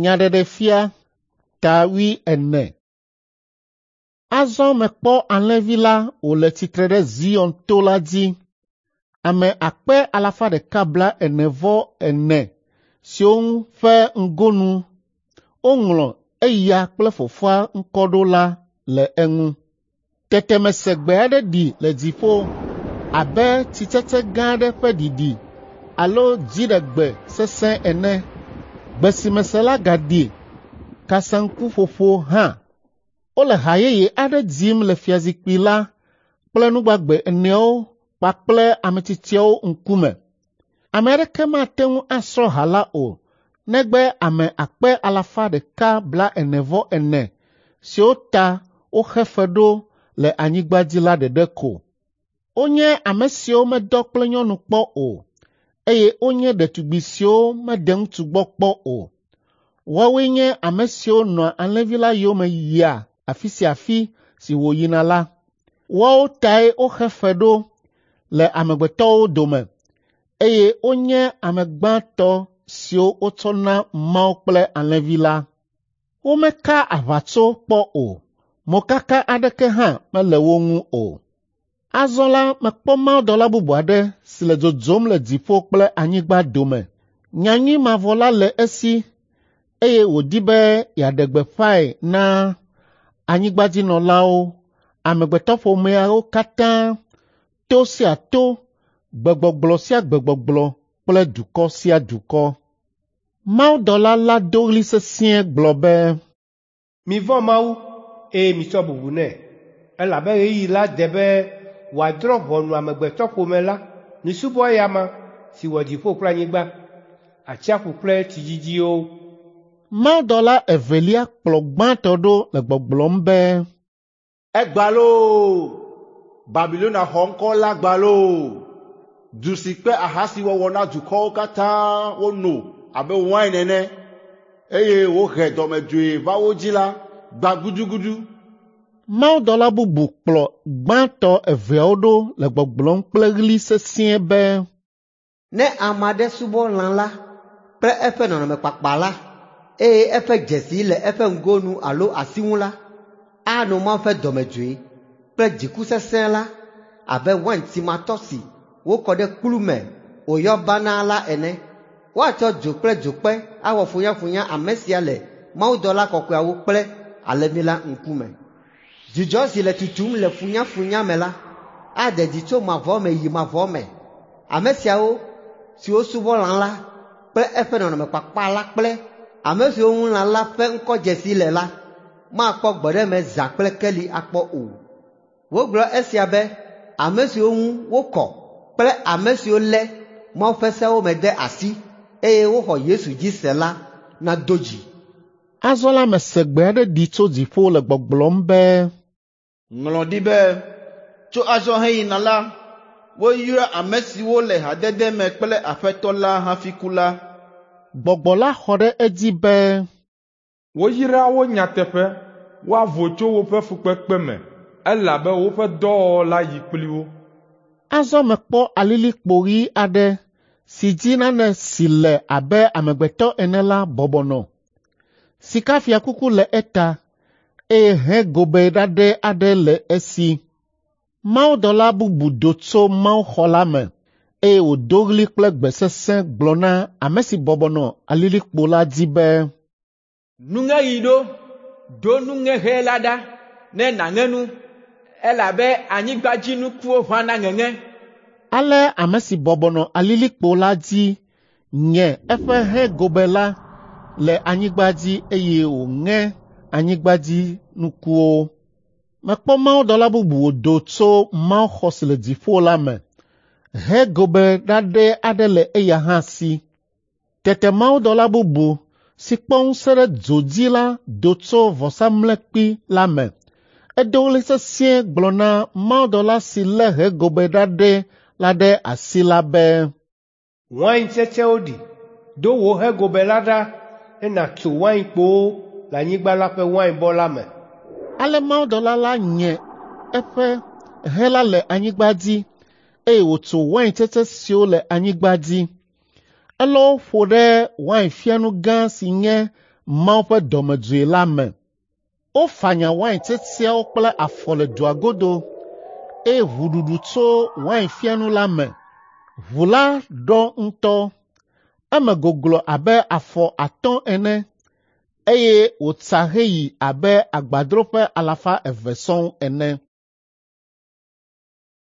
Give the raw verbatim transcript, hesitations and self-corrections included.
Nyaɖeɖefia ta wuiene. Azɔ mekpɔ Alẽvi la wòle tsitre ɖe Zion to la dzi. Ame akpe alafa ɖeka blaene-vɔ-ene siwo ƒe ŋgonu woŋlɔ eya kple Fofoa ŋkɔ ɖo la le eŋu. Tete mese gbe aɖe ɖi le dziƒo abe tsitsetse gã aɖe ƒe ɖiɖi alo dziɖegbe sesẽ ene. Gbe si mese la gaɖi kasaŋkuƒoƒo hã. Wole ha yeye aɖe dzim le fiazikpui la kple nugbagbe eneawo kpakple ametsitsiawo ŋkume. Ame aɖeke mate ŋu asrɔ̃ ha la o negbe ame akpe alafa ɖeka blaene-vɔ-ene siwo ta woxe fe ɖo le anyigba dzi la ɖeɖe ko. Wonye ame siwo medɔ kple nyɔnu kpɔ o, eye wonye ɖetugbi siwo mede ŋutsu gbɔ kpɔ o. Woawoe nye ame siwo nɔa Alẽvi la yome yia afi sia afi si wòyina la. Woawo tae woxe fe ɖo le amegbetɔwo dome, eye wonye ame gbãtɔ siwo wotsɔ na Mawu kple Alẽvi la. Womeka aʋatso kpɔ o, mokaka aɖeke hã mele wo ŋu o. Azɔ la mekpɔ mawudɔla bubu aɖe si le dzodzom le dziƒo kple anyigba dome. Nyanyui mavɔ la le esi eye wòdi be yeaɖe gbeƒãe na anyigbadzinɔlawo, amegbetɔƒomeawo katã, to sia to, gbegbɔgblɔ sia gbegbɔgblɔ kple dukɔ sia dukɔ. Mawudɔla la do ɣli sesĩe gblɔ be, Mivɔ̃ Mawu, eye mitsɔ bubu nɛ, elabe ɣeyiɣi la de be wòadrɔ̃ ʋɔnu amegbetɔƒome la. Misubɔ eya amea si wɔ dziƒo kple anyigba, atsiaƒu kple tsidzidziwo. Mawudɔla evelia kplɔ gbãtɔ ɖo le gbɔgblɔm be, Egbã loo! Babilonia xɔ ŋkɔ la gbã loo! Du si kpe ahasiwɔwɔ na dukɔwo katã wono abe wain ene, eye wòhe dɔmedzoe va wo dzi la gbã gudugudu. Mawudɔla bubu kplɔ gbãtɔ eveawo ɖo le gbɔgblɔm kple ɣli sesĩe be, Ne ame aɖe subɔ lã la kple eƒe nɔnɔmekpakpa la, eye eƒe dzesi le eƒe ŋgonu alo asi ŋu la, ano Mawu ƒe dɔmedzoe kple dziku sesẽ la abe waintsimatɔ si wokɔ ɖe kplu me wòyɔ banaa la ene. Woatsɔ dzo kple dzokpe awɔ funyafunya ame sia le mawudɔla kɔkɔeawo kple Alẽvi la ŋkume. Dzidzɔ si le tutum le funyafunya me la ade dzi tso mavɔ me yi mavɔ me. Ame siawo siwo subɔ lã la kple eƒe nɔnɔmekpakpa la kple ame siwo ŋu lã la ƒe ŋkɔdzesi le la makpɔ gbɔɖeme zã kple keli akpɔ o. Wogblɔ esia be ame siwo ŋu wokɔ kple ame siwo lé Mawu ƒe sewo me de asi eye woxɔ Yesu dzi se la nado dzi. Azɔ la mese gbe aɖe ɖi tso dziƒo le gbɔgblɔm be, Ŋlɔ ɖi be, tso azɔ heyina la, woyra ame siwo le hadede me kple Aƒetɔ la hafi ku la. Gbɔgbɔ la xɔ ɖe edzi be, Woyra wo nyateƒe, woavo tso woƒe fukpekpe me, elabe woƒe dɔwɔwɔ la yi kpli wo. Azɔ mekpɔ alilikpo ɣi aɖe si dzi nane si le abe amegbetɔ ene la bɔbɔ nɔ. Sikafiakuku le eta, eye hɛ gobe ɖaɖɛ aɖe le esi. Mawudɔla bubu do tso mawuxɔ la me, eye wòdo ɣli kple gbe sesẽ gblɔ na ame si bɔbɔ nɔ alilikpo la dzi be, Nuŋeɣi ɖo, do nuŋeŋe la ɖa ne nàŋe nu, elabe anyigbadzinukuwo ʋã na ŋeŋe. Ale ame si bɔbɔ nɔ alilikpo la dzi nye eƒe hɛ gobe la le anyigba dzi eye wòŋe anyigbadzinukuwo. Mekpɔ mawudɔla bubu wòdo tso mawuxɔ si le dziƒo la me. Hɛ gobe ɖaɖɛ aɖe le eya hã si. Tete mawudɔla bubu si kpɔ ŋusẽ ɖe dzo dzi la do tso vɔsamlekpui la me. Edo ɣli sesĩe gblɔ na mawudɔla si lé hɛ gobe ɖaɖɛ la ɖe asi la be, Waintsetsewo ɖi, do wò hɛ gobe la ɖa ne nàtso wainkpowo le anyigba la ƒe wainbɔ la me. Ale mawudɔla la nye eƒe hɛ la le anyigba dzi, eye wòtso waintsetse siwo le anyigba dzi. Elɔ wo ƒo ɖe wainfianu gã si nye Mawu ƒe dɔmedzoe la me. Wofanya wain tsetseawo kple afɔ le dua godo eye ʋu ɖuɖu tso wainfiãnu la me. Ʋu la ɖɔ ŋutɔ. Eme goglo abe afɔ atɔ̃ ene eye wòtsa heyi abe agbadroƒe alafa eve sɔŋ ene.